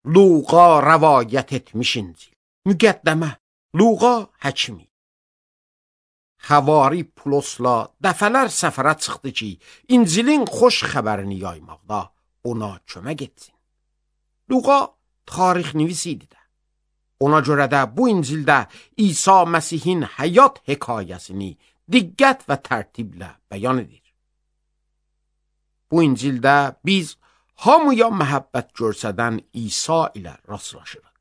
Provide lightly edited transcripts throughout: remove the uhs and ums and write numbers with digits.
Luqa rəvayət etmiş İncil. Müqəddəmə, Luqa həkimi. Xəvari Pulosla dəfələr səfərə çıxdı ki, İncilin xoş xəbərini yaymaqda ona kömək etsin. Luqa tarixnivis idi də. Ona görə də bu İncildə İsa Məsihin həyat hekayəsini diqqət və tərtiblə bəyan edir. Bu İncildə biz hamıya məhəbbət göstərən İsa ilə rastlaşırıq.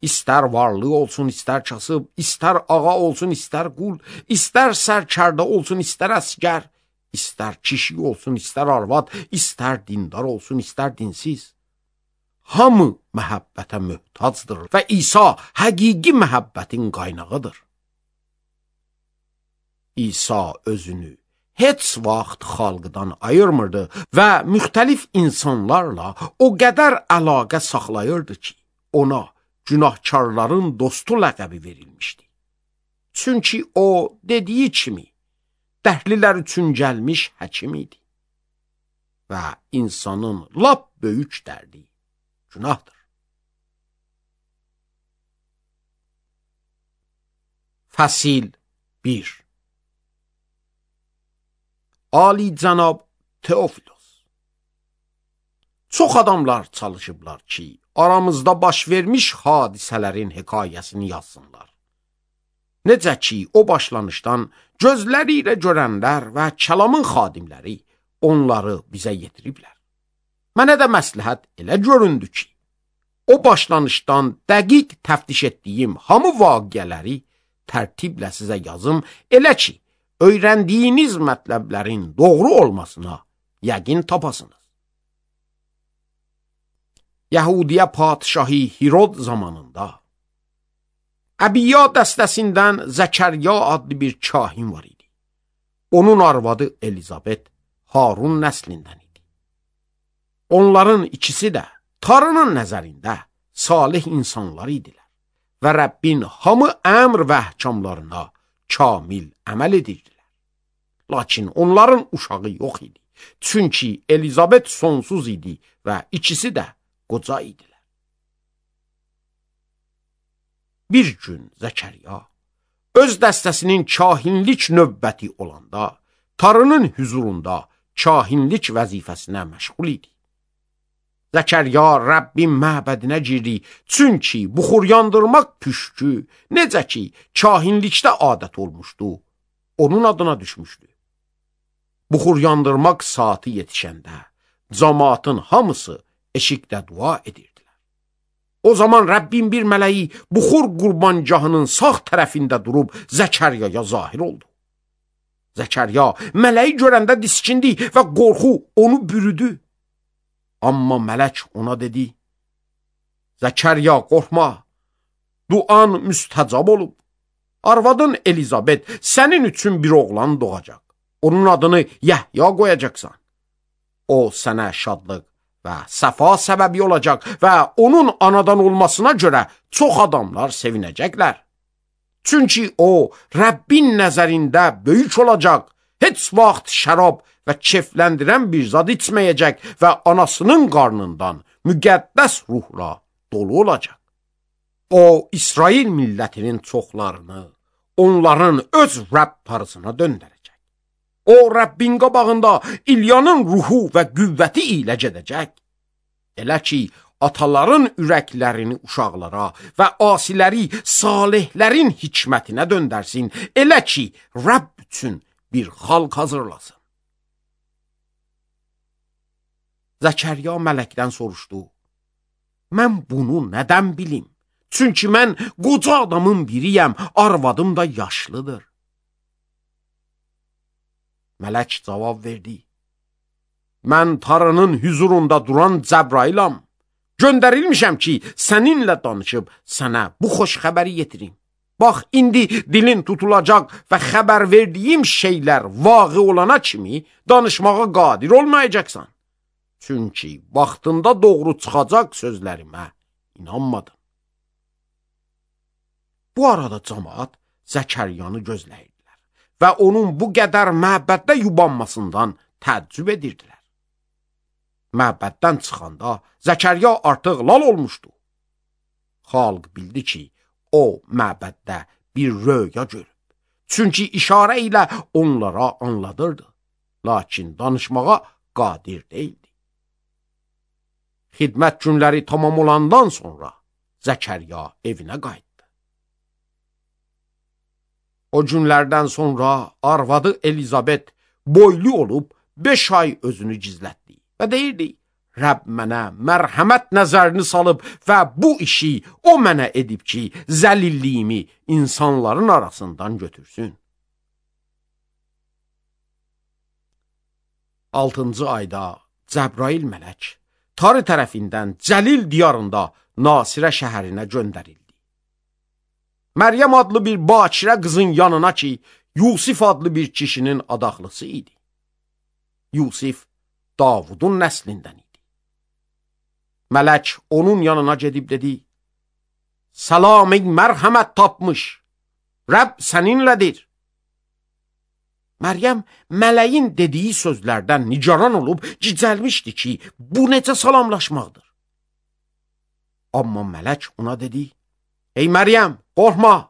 İstər varlı olsun, istər kasıb, istər ağa olsun, istər qul, istər sərkərdə olsun, istər əsgər, istər kişi olsun, istər arvad, istər dindar olsun, istər dinsiz. Hamı məhəbbətə möhtacdır və İsa həqiqi məhəbbətin qaynağıdır. İsa özünü heç vaxt xalqdan ayırmırdı və müxtəlif insanlarla o qədər əlaqə saxlayırdı ki, ona günahkarların dostu ləqəbi verilmişdi. Çünki o, dediyi kimi, dəhlilər üçün gəlmiş həkim idi. Və insanın lap böyük dərdi günahdır. Fəsil 1. Ali cənab Teofilos. Çox adamlar çalışıblar ki, aramızda baş vermiş hadisələrin hekayəsini yazsınlar. Necə ki, o başlanışdan gözləri ilə görənlər və kəlamın xadimləri onları bizə yetiriblər. Mənə də məsləhət elə göründü ki, o başlanışdan dəqiq təftiş etdiyim hamı vaqiələri tərtiblə sizə yazım, elə ki, öyrəndiyiniz mətləblərin doğru olmasına yəqin tapasınız. Yahudiyə padişahı Hirod zamanında Əbiya dəstəsindən Zəkərya adlı bir kahin var idi. Onun arvadı Elizabet Harun nəslindən idi. Onların ikisi də Tanrının nəzərində salih insanlar idilər və Rəbbin hamı əmr və əhkamlarına kamil əməl edirdilər. Lakin onların uşağı yox idi. Çünki Elizabet sonsuz idi və ikisi də qoca idilər. Bir gün Zəkərya öz dəstəsinin kahinlik növbəti olanda Tanrının hüzurunda kahinlik vəzifəsinə məşğul idi. Zəkərya Rəbbin məbədinə girdi, çünki buxur yandırmaq püşkü, necə ki kahinlikdə adət olmuşdu, onun adına düşmüşdü. Buxur yandırmaq saati yetişəndə cəmaatın hamısı eşikdə dua edirdilər. O zaman Rəbbin bir mələyi buxur qurbancahının sağ tərəfində durub Zəkəryaya zahir oldu. Zəkərya mələyi görəndə diskindi və qorxu onu bürüdü. Amma mələk ona dedi, Zəkərya qorxma, duan müstəcab olub. Arvadın Elizabet sənin üçün bir oğlan doğacaq. Onun adını Yəhya qoyacaqsan. O sənə şadlıq və səfa səbəbi olacaq və onun anadan olmasına görə çox adamlar sevinəcəklər. Çünki o, Rəbbin nəzərində böyük olacaq, heç vaxt şərab və kefləndirən bir zad içməyəcək və anasının qarnından müqəddəs ruhla dolu olacaq. O, İsrail millətinin çoxlarını onların öz Rəbb parısına döndərəcək. O, Rəbbin qabağında İlyanın ruhu və qüvvəti ilə gedəcək. Elə ki, ataların ürəklərini uşaqlara və asiləri salihlərin hikmətinə döndərsin, elə ki, Rəbb üçün bir xalq hazırlasın. Zəkərya mələkdən soruşdu, mən bunu nədən bilim? Çünki mən qoca adamın biriyəm, arvadım da yaşlıdır. Mələk cavab verdi, mən Tanrının hüzurunda duran Cəbrailam, göndərilmişəm ki, səninlə danışıb sənə bu xoş xəbəri yetirim. Bax, indi dilin tutulacaq və xəbər verdiyim şeylər vaqe olana kimi danışmağa qadir olmayacaqsan. Çünki vaxtında doğru çıxacaq sözlərimə inanmadın. Bu arada cəmaat Zəkəryanı gözləyirdilər və onun bu qədər məbəddə yubanmasından təəccüb edirdilər. Məbəddən çıxanda Zəkərya artıq lal olmuşdu. Xalq bildi ki, o məbəddə bir röya görüb. Çünki işarə ilə onlara anladırdı. Lakin danışmağa qadir deyildi. Xidmət günləri tamam olandan sonra Zəkərya evinə qayıtdı. O günlərdən sonra arvadı Elizabet boylu olub 5 ay özünü gizlətdi və deyirdi, Rəbb mənə mərhəmət nəzərini salıb və bu işi o mənə edib ki, zəlilliyimi insanların arasından götürsün. 6-cı ayda Cəbrail mələk Tarı tərəfindən Cəlil diyarında Nasirə şəhərinə göndərildi. Məryəm adlı bir bakirə qızın yanına ki, Yusif adlı bir kişinin adaqlısı idi. Yusif Davudun nəslindən idi. Mələk onun yanına gedib dedi, Salam ey mərhəmət tapmış, Rəbb səninlədir. Məryəm mələyin dediyi sözlərdən nigaran olub gicəlmişdi ki, bu necə salamlaşmaqdır. Amma mələk ona dedi, Ey Məryəm, qorxma,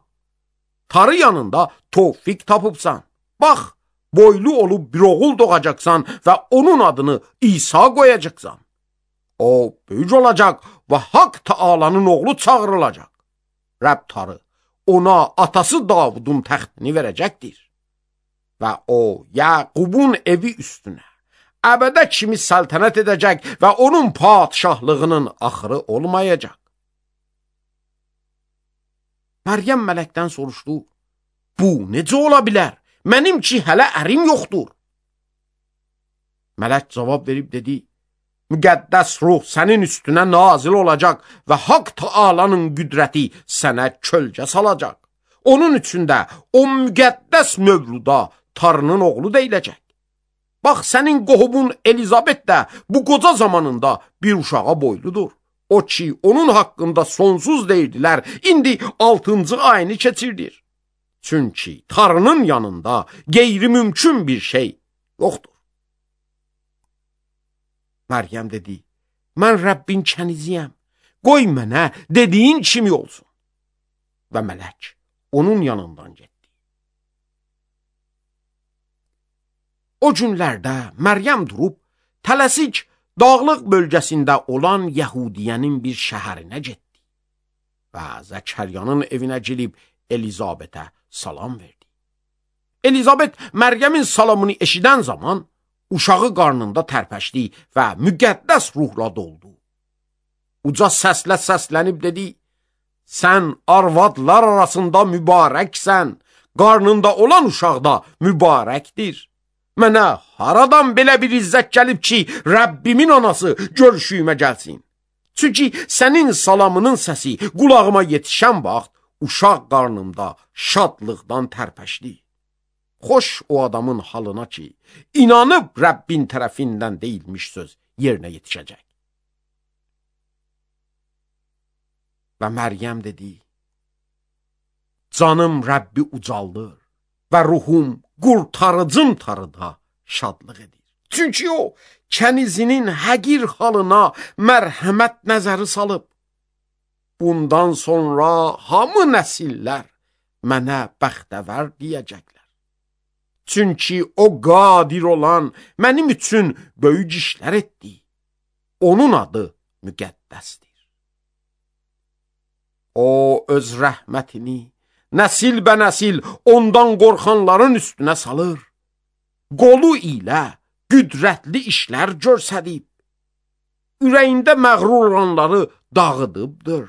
tarı yanında Tofiq tapıbsan. Bax, boylu olub bir oğul doğacaqsan və onun adını İsa qoyacaqsan. O böyük olacaq və Haqq Taalanın oğlu çağırılacaq. Rəbb tarı ona atası Davudun təxtini verəcəkdir. Və o, Yaqubun evi üstünə əbədə kimi səltənət edəcək və onun padişahlığının axırı olmayacaq. Məryəm mələkdən soruşdu, bu necə ola bilər? Mənim ki, hələ ərim yoxdur. Mələk cavab verib dedi, müqəddəs ruh sənin üstünə nazil olacaq və Haqq Taalanın qüdrəti sənə kölgə salacaq. Onun üçün də o müqəddəs mövluda tarının oğlu deyiləcək. Bax, sənin qohumun Elizabet də bu qoca zamanında bir uşağa boyludur. O ki, onun haqqında sonsuz deyirdilər, indi 6-cı ayını keçirdir. Çünki tarının yanında qeyri-mümkün bir şey yoxdur. Məryəm dedi, mən Rəbbin kəniziyəm, qoy mənə dediyin kimi olsun. Və mələk onun yanından getdi. O günlərdə Məryəm durub, tələsik dağlıq bölgəsində olan Yəhudiyənin bir şəhərinə getdi və Zəkəryanın evinə girib Elizabetə salam verdi. Elizabet Məryəmin salamını eşidən zaman uşağı qarnında tərpəşdi və müqəddəs ruhla doldu. Uca səslə səslənib dedi, sən arvadlar arasında mübarəksən, qarnında olan uşaq da mübarəkdir. Mənə haradan belə bir izzət gəlib ki, Rəbbimin anası görüşüyümə gəlsin. Çünki sənin salamının səsi qulağıma yetişən vaxt, uşaq qarnımda şadlıqdan tərpəşdi. Xoş o adamın halına ki, inanıb Rəbbin tərəfindən deyilmiş söz yerinə yetişəcək. Və Məryəm dedi, canım Rəbbi ucaldır və ruhum qurtarıcım tarıda şadlıq edir. Çünki o, kənizinin həqir halına mərhəmət nəzəri salıb. Bundan sonra hamı nəsillər mənə bəxtəvər deyəcəklər. Çünki o qadir olan mənim üçün böyük işlər etdi. Onun adı müqəddəsdir. O öz rəhmətini nəsil bə nəsil ondan qorxanların üstünə salır. Qolu ilə qüdrətli işlər görsədib. Ürəyində məğrur olanları dağıdıbdır.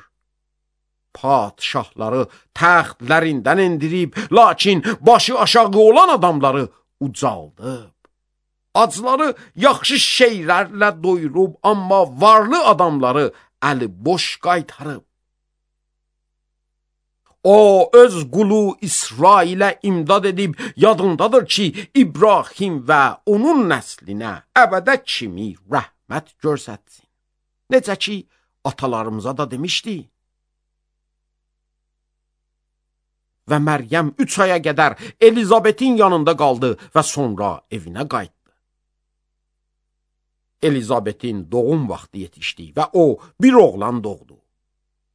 Padişahları təxtlərindən endirib, lakin başı aşağı olan adamları ucaldıb. Acları yaxşı şeylərlə doyurub, amma varlı adamları əli boş qaytarıb. O, öz qulu İsrailə imdad edib, yadındadır ki, İbrahim və onun nəslinə əbədə kimi rəhmət görsətsin. Necə ki, atalarımıza da demişdi. Və Məryəm 3 aya qədər Elizabetin yanında qaldı və sonra evinə qayıtdı. Elizabetin doğum vaxtı yetişdi və o bir oğlan doğdu.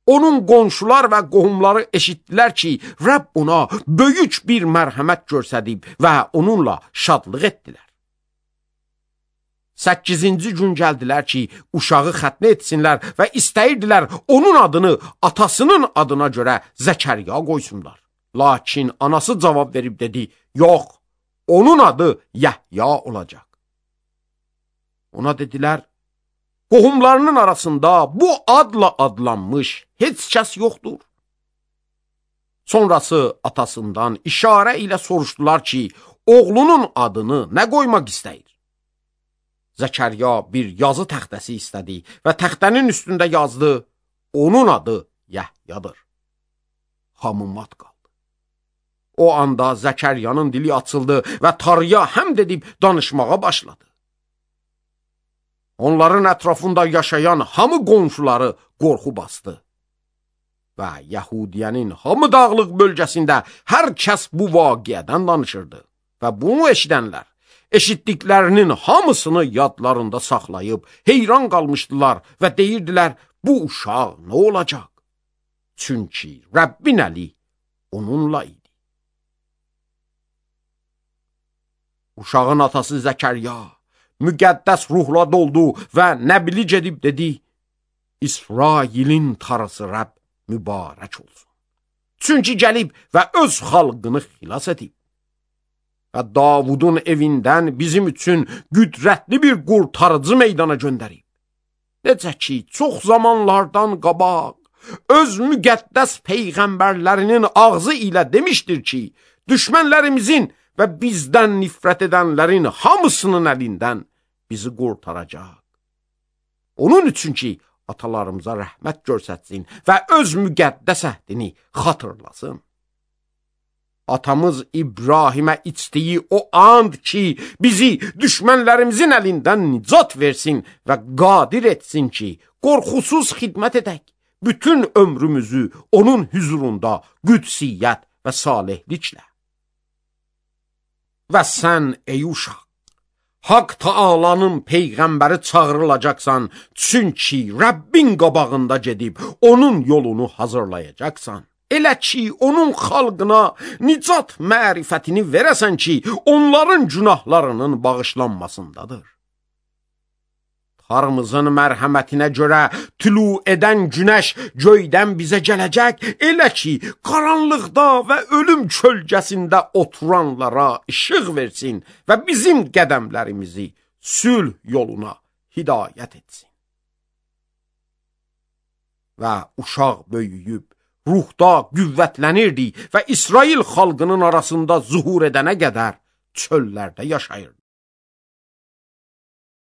Onun qonşular və qohumları eşitdilər ki, Rəbb ona böyük bir mərhəmət göstərib və onunla şadlıq etdilər. 8-ci gün gəldilər ki, uşağı xətnə etsinlər və istəyirdilər onun adını atasının adına görə Zəkərya qoysunlar. Lakin anası cavab verib dedi, yox, onun adı Yəhya olacaq. Ona dedilər, qohumlarının arasında bu adla adlanmış heç kəs yoxdur. Sonrası atasından işarə ilə soruşdular ki, oğlunun adını nə qoymaq istəyir? Zəkərya bir yazı təxtəsi istədi və təxtənin üstündə yazdı, onun adı Yəhyadır. Hamı mat qaldı. O anda Zəkəryanın dili açıldı və Tanrıya həmd edib danışmağa başladı. Onların ətrafında yaşayan hamı qonşuları qorxu bastı. Və Yəhudiyənin hamı dağlıq bölgəsində hər kəs bu vaqiədən danışırdı. Və bunu eşidənlər, eşitdiklərinin hamısını yadlarında saxlayıb, heyran qalmışdılar və deyirdilər, bu uşaq nə olacaq? Çünki Rəbbin əli onunla idi. Uşağın atası Zəkərya müqəddəs ruhla doldu və nəbili gedib dedi, İsrailin tarısı Rəbb mübarək olsun. Çünki gəlib və öz xalqını xilas edib. Və Davudun evindən bizim üçün qüdrətli bir qurtarıcı meydana göndərib. Necə ki, çox zamanlardan qabaq öz müqəddəs peyğəmbərlərinin ağzı ilə demişdir ki, düşmənlərimizin və bizdən nifrət edənlərin hamısının əlindən bizi qurtaracaq. Onun üçün ki, atalarımıza rəhmət göstərsin və öz müqəddəs əhdini xatırlasın. Atamız İbrahimə içdiyi o and ki, bizi düşmənlərimizin əlindən nicat versin və qadir etsin ki, qorxusuz xidmət edək, bütün ömrümüzü onun hüzurunda qüdsiyyət və salihliklə. Və sən, ey uşaq, Haqq Taalanın peyğəmbəri çağırılacaqsan, çünki Rəbbin qabağında gedib onun yolunu hazırlayacaqsan. Elə ki, onun xalqına nicat mərifətini verəsən ki, onların günahlarının bağışlanmasındadır. Tanrımızın mərhəmətinə görə tülu edən günəş göydən bizə gələcək, elə ki, qaranlıqda və ölüm kölgəsində oturanlara işıq versin və bizim qədəmlərimizi sülh yoluna hidayət etsin. Və uşaq böyüyüb, ruhda qüvvətlənirdi və İsrail xalqının arasında zuhur edənə qədər çöllərdə yaşayırdı.